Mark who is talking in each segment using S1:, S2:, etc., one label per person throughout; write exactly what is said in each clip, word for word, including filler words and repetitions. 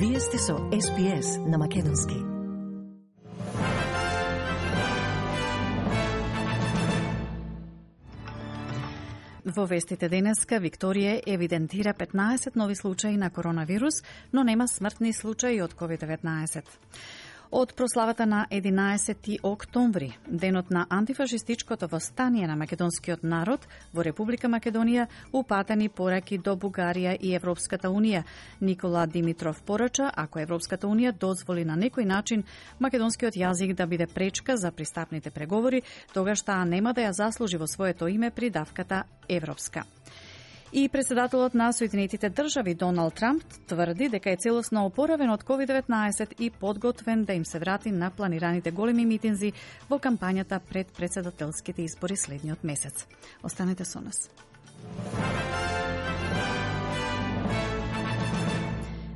S1: Вие сте со Ес Би Ес на македонски. Во вестите денеска Викторија евидентира петнаесет нови случаи на коронавирус, но нема смртни случаи од ковид деветнаесет. Од прославата на единаесети октомври, денот на антифашистичкото востание на македонскиот народ во Република Македонија, упатени пораки до Бугарија и Европската Унија. Никола Димитров порача, ако Европската Унија дозволи на некој начин македонскиот јазик да биде пречка за пристапните преговори, тогаш таа нема да ја заслужи во своето име придавката европска. И председателот на Соединетите држави Доналд Трамп тврди дека е целосно опоравен од ковид деветнаесет и подготвен да им се врати на планираните големи митинзи во кампањата пред председателските избори следниот месец. Останете со нас.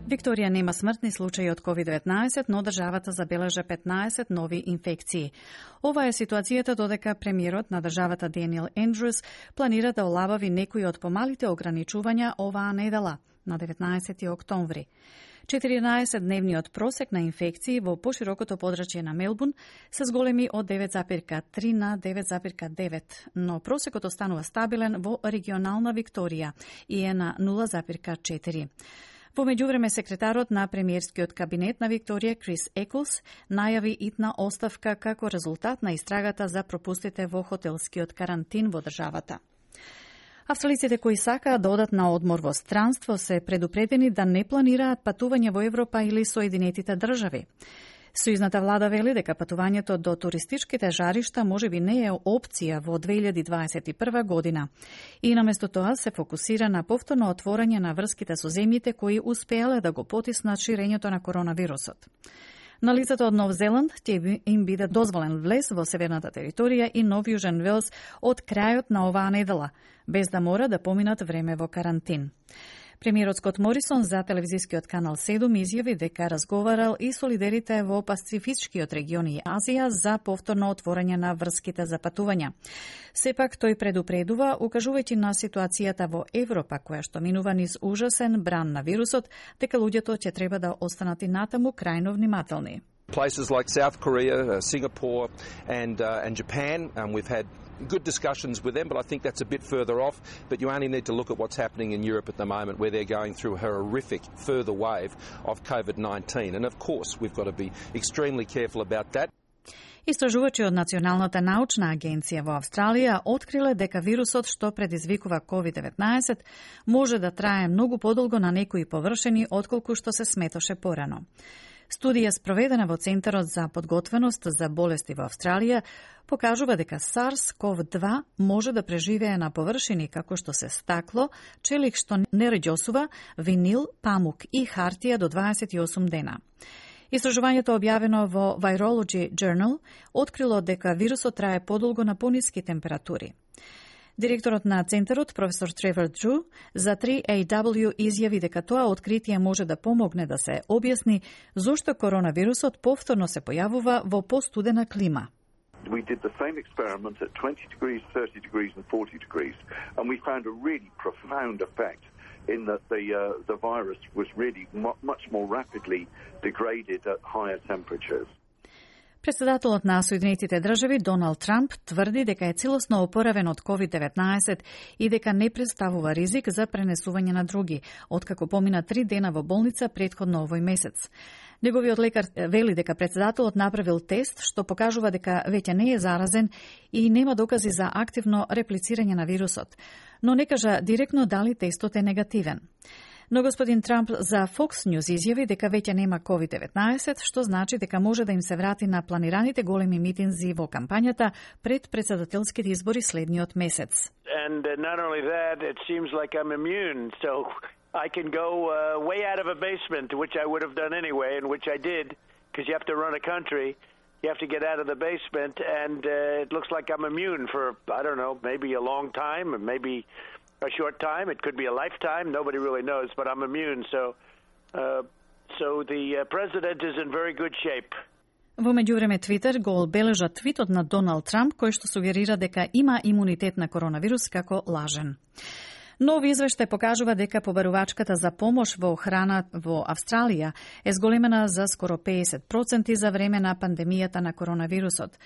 S1: Викторија нема смртни случаи од ковид деветнаесет, но државата забележа петнаесет нови инфекции. Ова е ситуацијата додека премиерот на државата Даниел Ендрюс планира да олабави некои од помалите ограничувања оваа недела, на деветнаесети октомври. четиринаесетдневниот просек на инфекции во поширокото подрачје на Мелбурн се зголеми од девет запирка три на девет запирка девет, но просекот останува стабилен во регионална Викторија и е на нула запирка четири. Во меѓувреме, секретарот на премиерскиот кабинет на Викторија, Крис Екулс, најави итна оставка како резултат на истрагата за пропустите во хотелскиот карантин во државата. Австралиците кои сакаат да одат на одмор во странство се предупредени да не планираат патување во Европа или Соединетите држави. Сојузната влада вели дека патувањето до туристичките жаришта можеби не е опција во две илјади дваесет и прва година. И наместо тоа се фокусира на повторно отворање на врските со земјите кои успеале да го потиснат ширењето на коронавирусот. На лицето од Нов Зеланд ќе им биде дозволен влез во северната територија и Нов Јужен Велс од крајот на оваа недела, без да мора да поминат време во карантин. Премиерот Скот Морисон за телевизискиот канал седум изјави дека разговарал и со лидерите во Пацифичкиот регион и Азија за повторно отворање на врските за патувања. Сепак тој предупредува, укажувајќи на ситуацијата во Европа, која што минува низ ужасен бран на вирусот, дека луѓето ќе треба да останат и натаму крајно внимателни.
S2: Places like South Korea, uh, Singapore and uh, and Japan, um, we've had good discussions with them, but I think that's a bit further off. But you only need to look at what's happening in Europe at the moment, where they're going through a horrific further wave of COVID nineteen. And of course, we've got to be extremely careful about that.
S1: Истражувачи од Националната научна агенција во Австралија откриле дека вирусот што предизвикува ковид деветнаесет може да трае многу подолго на некои површини отколку што се сметоше порано. Студија спроведена во Центарот за подготвеност за болести во Австралија покажува дека SARS-ков два може да преживее на површини како што се стакло, челик што не реѓосува, винил, памук и хартија до дваесет и осум дена. Истражувањето објавено во Virology Journal открило дека вирусот трае подолго на пониски температури. Директорот на Центарот, професор Тревор Дрю, за три А W изјави дека тоа откритие може да помогне да се објасни зошто коронавирусот повторно се појавува во постудена клима.
S3: We did the same experiment at twenty degrees, thirty degrees and forty degrees, and we found a really profound effect in that the uh, the virus was really much more rapidly degraded at higher temperatures.
S1: Председателот на Соединетите држави Доналд Трамп тврди дека е целосно опоравен од ковид деветнаесет и дека не представува ризик за пренесување на други, откако помина три дена во болница претходно овој месец. Неговиот лекар вели дека председателот направил тест што покажува дека веќе не е заразен и нема докази за активно реплицирање на вирусот, но не кажа директно дали тестот е негативен. Но господин Трамп за Fox News изјави дека веќе нема ковид деветнаесет, што значи дека може да им се врати на планираните големи митинзи во кампањата пред председателските избори следниот месец.
S4: And not only that, it seems like I'm immune, so I can go uh, way out of a basement, which I would have done anyway, and which I did, because you have to run a country. You have to get out of the basement, and uh, it looks like I'm immune for, I don't know, maybe a long time, or maybe a short time. It could be a lifetime. Nobody really knows, but I'm immune. So, uh, so the uh, president is in very good shape.
S1: Во меѓувреме Твитер го одбележа твитот на Доналд Трамп кој што сугерира дека има имунитет на коронавирус како лажен. Нов извештај покажува дека побарувачката за помош во храна во Австралија е зголемена за скоро педесет проценти за време на пандемијата на коронавирусот.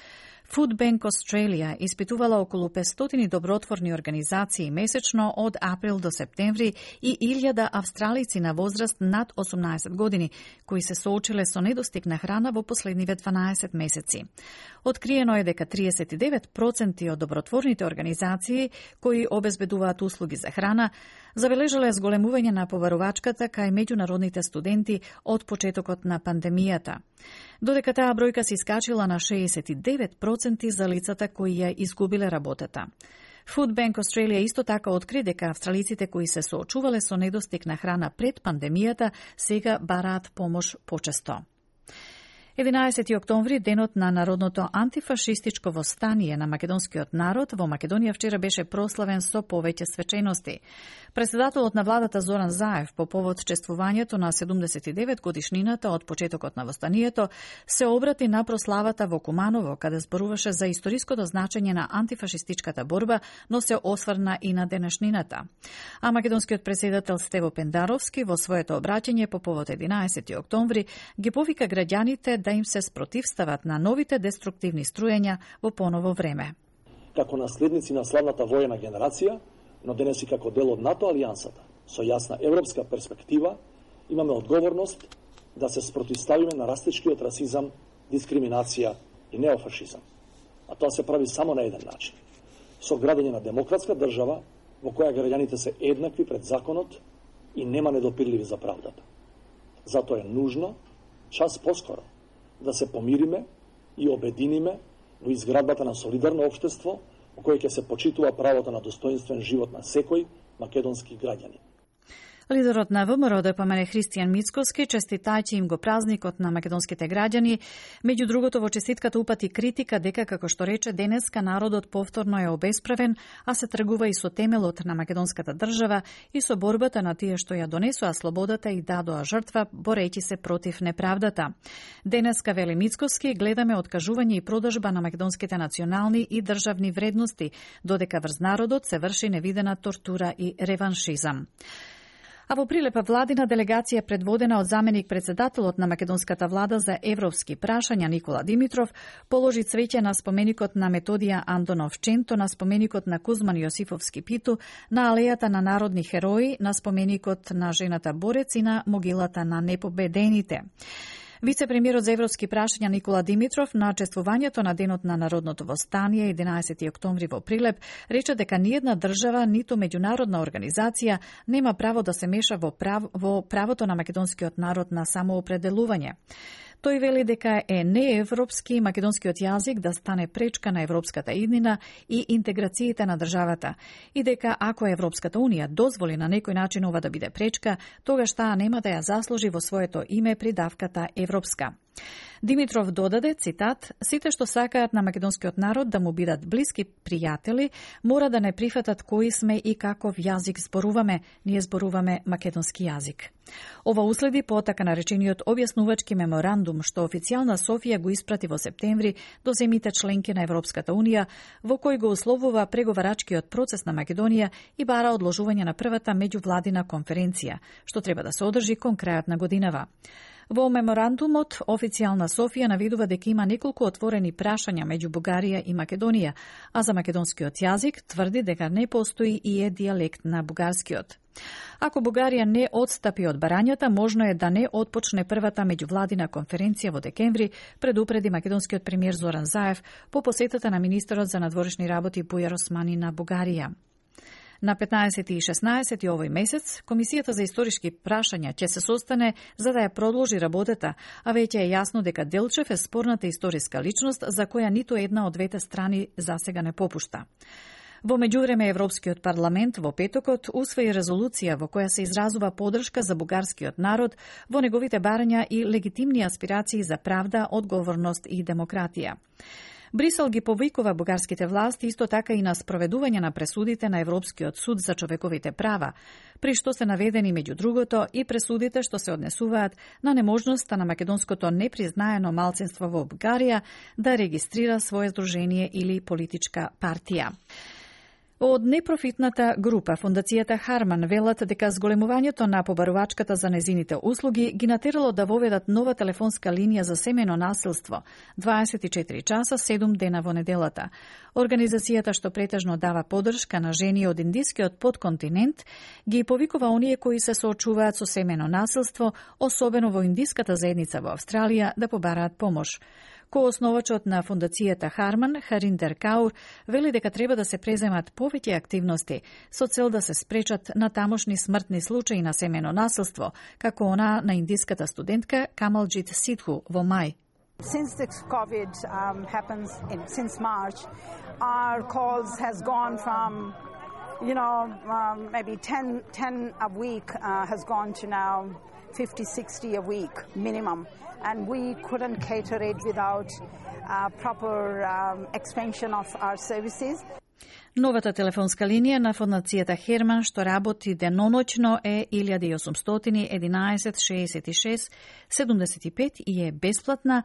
S1: Food Bank Australia испитувала околу петстотини добротворни организации месечно од април до септември и илјада австралици на возраст над осумнаесет години, кои се соочиле со недостиг на храна во последниве дванаесет месеци. Откриено е дека триесет и девет проценти од добротворните организации кои обезбедуваат услуги за храна забележале зголемување на побарувачката кај меѓународните студенти од почетокот на пандемијата, додека таа бројка се искачила на шеесет и девет проценти за лицата кои ја изгубиле работата. Food Bank Australia исто така откри дека австралиците кои се соочувале со недостиг на храна пред пандемијата сега бараат помош почесто. единаесети октомври, денот на народното антифашистичко востание на македонскиот народ, во Македонија вчера беше прославен со повеќе свечености. Председателот на владата Зоран Заев по повод чествувањето на седумдесет и девет годишнината од почетокот на востанието се обрати на прославата во Куманово, каде зборуваше за историското значење на антифашистичката борба, но се осврна и на денешнината. А македонскиот председател Стево Пендаровски во своето обраќање по повод единаесети октомври ги повика граѓаните да им се спротивстават на новите деструктивни струјења во поново време.
S5: Како наследници на славната воена генерација, но денес и како дел од НАТО алијансата, со јасна европска перспектива, имаме одговорност да се спротивставиме на растечкиот расизам, дискриминација и неофашизам. А тоа се прави само на еден начин. Со градење на демократска држава во која граѓаните се еднакви пред законот и нема недопирливи за правдата. Затоа е нужно час поскоро да се помириме и обединиме во изградбата на солидарно општество во кое ќе се почитува правото на достоинствен живот на секој македонски граѓанин.
S1: Лидерот на ВМРО ДПМН Христијан Мицкоски честитајќи им го празникот на македонските граѓани, меѓу другото во честитката упати критика дека, како што рече, денеска народот повторно е обесправен, а се тргува и со темелот на македонската држава и со борбата на тие што ја донесоа слободата и дадоа жртва, борејќи се против неправдата. Денеска, вели Мицкоски, гледаме откажување и продажба на македонските национални и државни вредности, додека врз народот се врши невидена тортура и реваншизам. А во прилепа владина делегација предводена од заменик председателот на македонската влада за европски прашања Никола Димитров положи цвеќе на споменикот на Методија Андонов Ченто, на споменикот на Кузман Јосифовски Питу, на алејата на народни херои, на споменикот на жената борец и на могилата на непобедените. Вице-премиерот за европски прашања Никола Димитров на чествувањето на денот на народното востание единаесети октомври во Прилеп рече дека ниедна држава, ниту меѓународна организација нема право да се меша во, прав... во правото на македонскиот народ на самоопределување. Тој вели дека е неевропски македонскиот јазик да стане пречка на европската иднина и интеграциите на државата и дека ако Европската унија дозволи на некој начин ова да биде пречка, тогаш таа нема да ја заслужи во своето име придавката европска. Димитров додаде, цитат, сите што сакаат на македонскиот народ да му бидат блиски пријатели, мора да не прифатат кои сме и каков јазик зборуваме, ние зборуваме македонски јазик. Ова уследи по така наречениот објаснувачки меморандум што официјална Софија го испрати во септември до земјите членки на Европската унија, во кој го условува преговарачкиот процес на Македонија и бара одложување на првата меѓувладина конференција, што треба да се одржи кон крајот на годинава. Во меморандумот, официјална Софија наведува дека има неколку отворени прашања меѓу Бугарија и Македонија, а за македонскиот јазик тврди дека не постои и е дијалект на бугарскиот. Ако Бугарија не одстапи од барањата, можно е да не отпочне првата меѓувладина конференција во декември, предупреди македонскиот премиер Зоран Заев по посетата на министерот за надворешни работи Бујар Османи на Бугарија. На петнаесети и шеснаесети овој месец, Комисијата за историски прашања ќе се состане за да ја продолжи работата, а веќе е јасно дека Делчев е спорната историска личност за која ниту една од двете страни засега не попушта. Во меѓувреме Европскиот парламент во петокот усвои резолуција во која се изразува поддршка за бугарскиот народ во неговите барања и легитимни аспирации за правда, одговорност и демократија. Брисел ги повикува бугарските власти исто така и на спроведување на пресудите на Европскиот суд за човековите права, при што се наведени меѓу другото и пресудите што се однесуваат на неможноста на македонското непризнаено малцинство во Бугарија да регистрира свое здружение или политичка партија. Од непрофитната група Фондацијата Харман велат дека зголемувањето на побарувачката за незините услуги ги натерало да воведат нова телефонска линија за семено насилство дваесет и четири часа седум дена во неделата. Организацијата што претежно дава поддршка на жени од индискиот подконтинент ги повикува оние кои се соочуваат со семено насилство, особено во индиската заедница во Австралија, да побараат помош. Коосновачот на Фондацијата Харман, Хариндер Каур, вели дека треба да се преземат повеќе активности со цел да се спречат на тамошни смртни случаи на семено насилство, како она на индиската студентка Камалджит Сидху во мај.
S6: Since the COVID um, happens in, since March, our calls has gone from, you know, um, maybe ten, ten a week uh, has gone to now fifty, sixty a week minimum. And we couldn't cater it without uh, proper um, expansion of our services.
S1: Новата телефонска линија на Фондацијата Херман што работи деноноќно е илјада и осумстотини единаесет шеесет и шест седумдесет и пет и е бесплатна.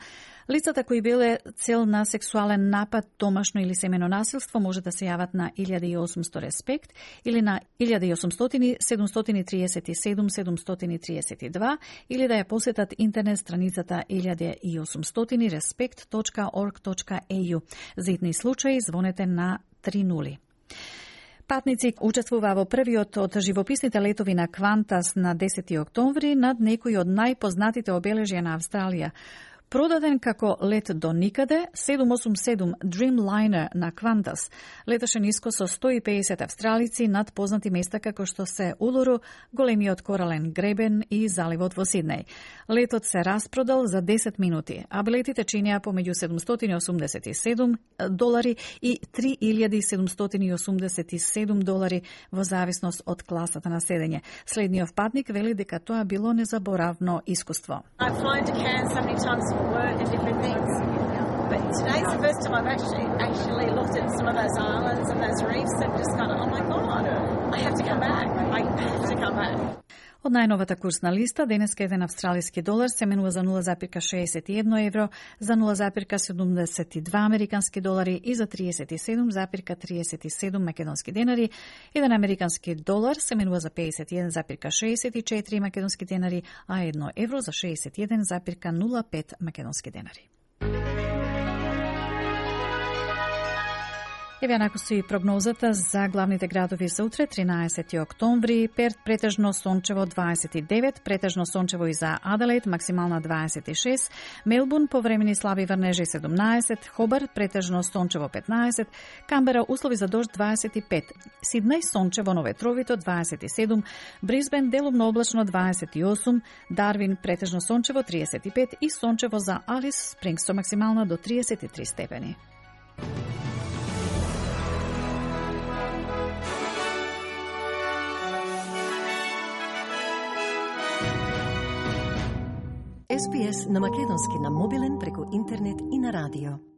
S1: Лицата кои биле цел на сексуален напад, домашно или семено насилство може да се јават на илјада и осумсто респект или на илјада и осумстотини седумстотини триесет и седум седумстотини триесет и два или да ја посетат интернет страницата илјада и осумстотини респект точка орг точка е ю. За итни случаи звонете на три нули. Патници учествуваа во првиот од живописните летови на Квантас на десети октомври над некои од најпознатите обележја на Австралија. Продаден како лет до никаде, седум осум седум Dreamliner на Квантас леташе ниско со сто и педесет австралици над познати места како што се Улуру, големиот корален гребен и заливот во Сиднеј. Летот се распродал за десет минути, а билетите чинеа помеѓу седумстотини осумдесет и седум долари и три илјади седумстотини осумдесет и седум долари во зависност од класата на седење. Следниот патник вели дека тоа било незаборавно искуство.
S7: I've flown to Cairns so many times for work and different things, but today's the first time I've actually actually looked at some of those islands and those reefs and just gone, oh my god, I have to come back. I have to come back.
S1: Од најновата курсна листа, денеска еден австралиски долар се менува за нула запирка шеесет и едно евро, за нула запирка седумдесет и два американски долари и за триесет и седум запирка триесет и седум македонски денари. Еден американски долар се менува за педесет и еден запирка шеесет и четири македонски денари, а едно евро за шеесет и еден запирка нула пет македонски денари. Еве накусу и прогнозата за главните градови за утре, тринаесети октомври. Перт претежно сончево дваесет и девет, претежно сончево и за Аделаид, максимална дваесет и шест, Мелбурн повремени слаби врнежи седумнаесет, Хобарт претежно сончево петнаесет, Камбера услови за дожд дваесет и пет, Сиднеј сончево, но ветровито дваесет и седум, Брисбен делумно облачно дваесет и осум, Дарвин претежно сончево триесет и пет и сончево за Алис Спрингс со максимална до триесет и три степени.
S8: Ес Би Ес на македонски на мобилен преку интернет и на радио.